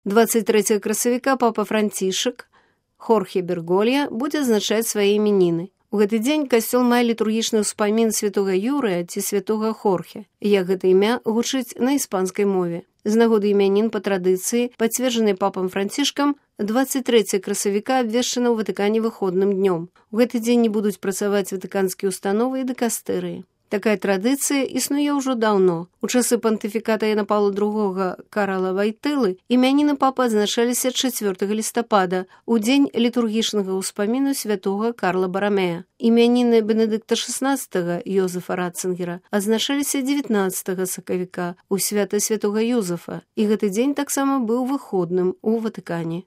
23 красавіка папа Францішак Хорхе Берголья будзе адзначаць свае імяніны. У гэты дзень касцёл мае літургічны ўспамін святога Юрыя ці святога Хорхе, як гэта імя гучыць на іспанскай мове. З нагоды імянін па традыцыі, пацверджанай папам Францішкам, 23 красавіка абвешчана ў Ватыкане выходным днём. У гэты дзень не будуць працаваць ватыканскія установы і дыкастэрыі. Такая традыцыя існуе ўжо даўно. У часы пантыфіката Яна Паўла II Карала Вайтылы імяніны папы адзначаліся 4 лістапада, у дзень літургічнага ўспаміну святога Карла Барамея. Імяніны Бенедыкта XVI Йозефа Ратцынгера адзначаліся 19 сакавіка, у свята святога Юзефа, і гэты дзень таксама быў выходным у Ватыкане.